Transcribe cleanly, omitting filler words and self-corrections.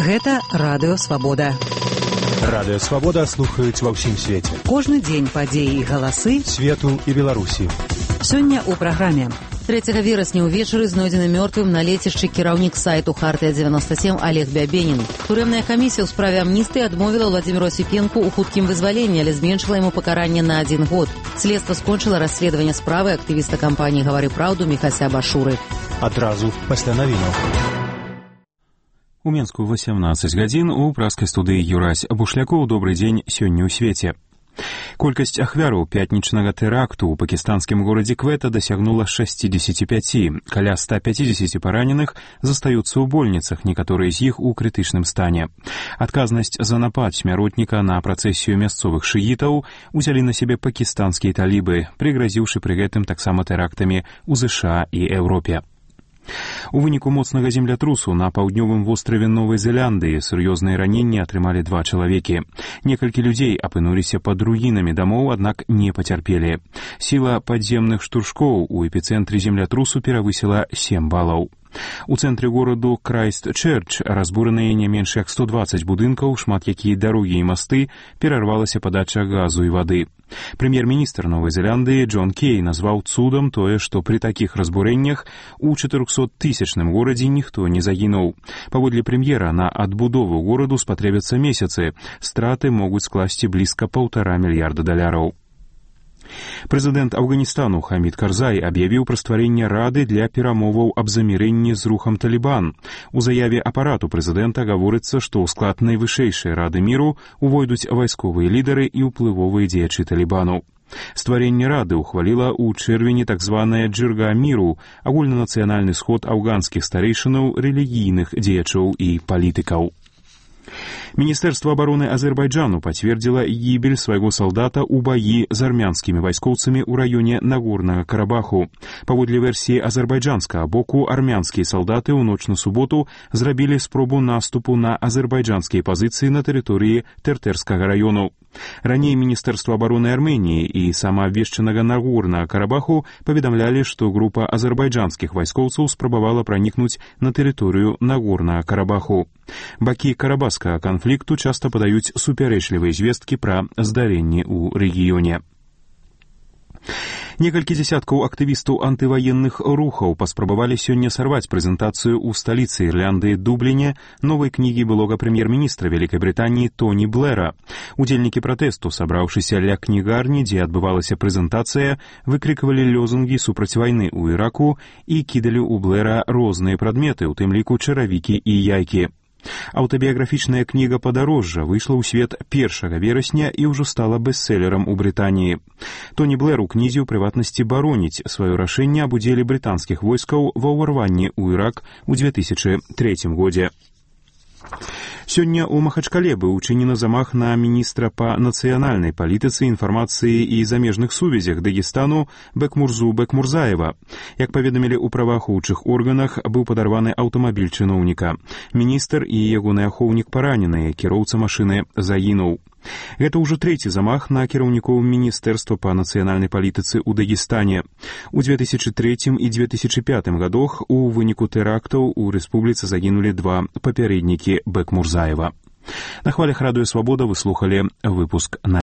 Гэта Радыё Свабода. Радыё Свабода слухаюць ва ўсім свеце. Кожны дзень падзеі і галасы свету і Беларусі. Сёння ў праграме. 3 верасня ўвечары знойдзены мёртвым на лецішчы кіраўнік сайту «Хартыя-97» Олег Бябенін. Турэмная камісія ў справе амністыі адмовіла Владзіміру Асіпенку ў хуткім вызваленні, але зменшыла яму пакаранне на 1 год. Следства скончыла расследаванне справы актывіста кампаніі «Гавары праўду» Міхася Башуры. Адразу пасля навінаў. У Менску 18 гадзін у праскай студыі Юрась Бушлякоў. Добрый дзень сёння ў свеце. Колькасць ахвяраў пятнічнага тэракту ў пакістанскім горадзе Квета дасягнула 65. Каля 150 параненых застаюцца ў больніцах, некаторыя з іх у крытычным стане. Адказнасць за напад смяротніка на працэсію мясцовых шыітаў узялі на сябе пакістанскія талібы, прыгразіўшы пры гэтым таксама тэрактамі ў ЗША і Еўропе. У выніку моцнага землятрусу на паўднёвым востраве Новай Зеландыі сур'ёзныя раненні атрымалі 2 чалавекі. Некалькі людзей апынуліся пад руінамі дамоў, аднак не пацярпелі. Сіла падземных штуршкоў у эпіцэнтры землятрусу перавысіла 7 балаў. У цэнтры гораду Крайстчэрч разбураныя не менш як 120 будынкаў, шмат якія дарогі і масты, перарвалася падача газу і вады. Прэм'ер-міністр Новай Зеландыі Джон Кей назваў цудам тое, што пры такіх разбурэннях у 400-тысячным горадзе ніхто не загінуў. Паводле прэм'ера, на адбудову гораду спатрэбяцца месяцы. Страты могуць скласці блізка $1,5 мільярда. Прэзідэнт Афганістану Хамід Карзай аб'явіў пра стварэнне рады для перамоваў аб замірэнні з рухам Талібан. У заяве апарату прэзідэнта гаворыцца, што ў склад найвышэйшай рады міру увойдуць вайсковыя лідары і ўплывовыя дзеячы Талібану. Стварэнне рады ўхваліла ў чэрвені так званая Джырга міру, агульнанацыянальны сход афганскіх старэйшынаў, рэлігійных дзеячоў і палітыкаў. Міністэрства абароны Азербайджану пацвердзіла гібель свайго салдата ў баі з армянскімі вайскоўцамі ў раёне Нагорнага Карабаху. Паводле версіі азербайджанскага боку, армянскія салдаты ў ноч на суботу зрабілі спробу наступу на азербайджанскія пазіцыі на тэрыторыі Тэртэрскага раёну. Раней Міністэрства абароны Арменіі і самаабвешчанага Нагорнага Карабаху паведамлялі, што група азербайджанскіх вайскоўцаў спрабавала пранікнуць на тэрыторыю Нагорнага Карабаху. Бакі карабахскага канфлікту часта падаюць супярэчлівыя звесткі пра здарэнні ў рэгіёне. Некалькі дзесяткаў актывістаў антываенных рухаў паспрабавалі сёння сарваць прэзентацыю ў сталіцы Ірландыі Дубліне новай кнігі былога прэм'ер-міністра Вялікай Брытаніі Тоні Блэра. Удзельнікі пратэсту, сабраўшыся ля кнігарні, дзе адбывалася прэзентацыя, выкрыквалі лёзунгі супраць вайны ў Іраку і кідалі ў Блэра розныя прадметы, у тым ліку чаравікі і яйкі. Аўтабіяграфічная кніга «Падарожжа» выйшла ў свет 1 верасня і ўжо стала бестселерам у Брытаніі. Тоні Блэр у кнізе ў прыватнасці бароніць сваё рашэнне аб удзеле брытанскіх войскаў ва ўварванні ў Ірак у 2003 годзе. Сёння ў Махачкале быў учынены замах на міністра па нацыянальнай палітыцы, інфармацыі і замежных сувязях Дагестану Бекмурзу Бекмурзаева. Як паведамілі ў праваахоўчых органах, быў падарваны аўтамабіль чыноўніка. Міністр і ягоны ахоўнік параненыя, кіроўца машыны загінуў. Гэта ўжо 3 замах на кіраўнікоў Міністэрства па нацыянальнай палітыцы ў Дагестане. У 2003 і 2005 годах у выніку тэрактаў у рэспубліцы загінулі 2 папярэднікі Бекмурзаева. На хвалях Радыё Свабода вы слухалі выпуск на